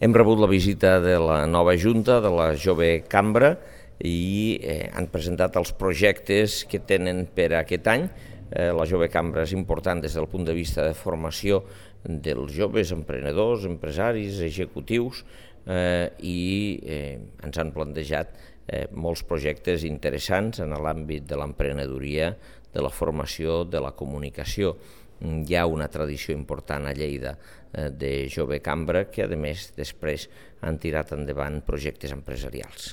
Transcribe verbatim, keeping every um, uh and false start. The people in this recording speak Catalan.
Hem rebut la visita de la nova Junta, de la Jove Cambra, i eh, han presentat els projectes que tenen per a aquest any. Eh, la Jove Cambra és important des del punt de vista de formació dels joves emprenedors, empresaris, executius, eh, i eh, ens han plantejat eh, molts projectes interessants en l'àmbit de l'emprenedoria, de la formació, de la comunicació. Hi ha una tradició important a Lleida eh, de Jove Cambra que, a més, després han tirat endavant projectes empresarials.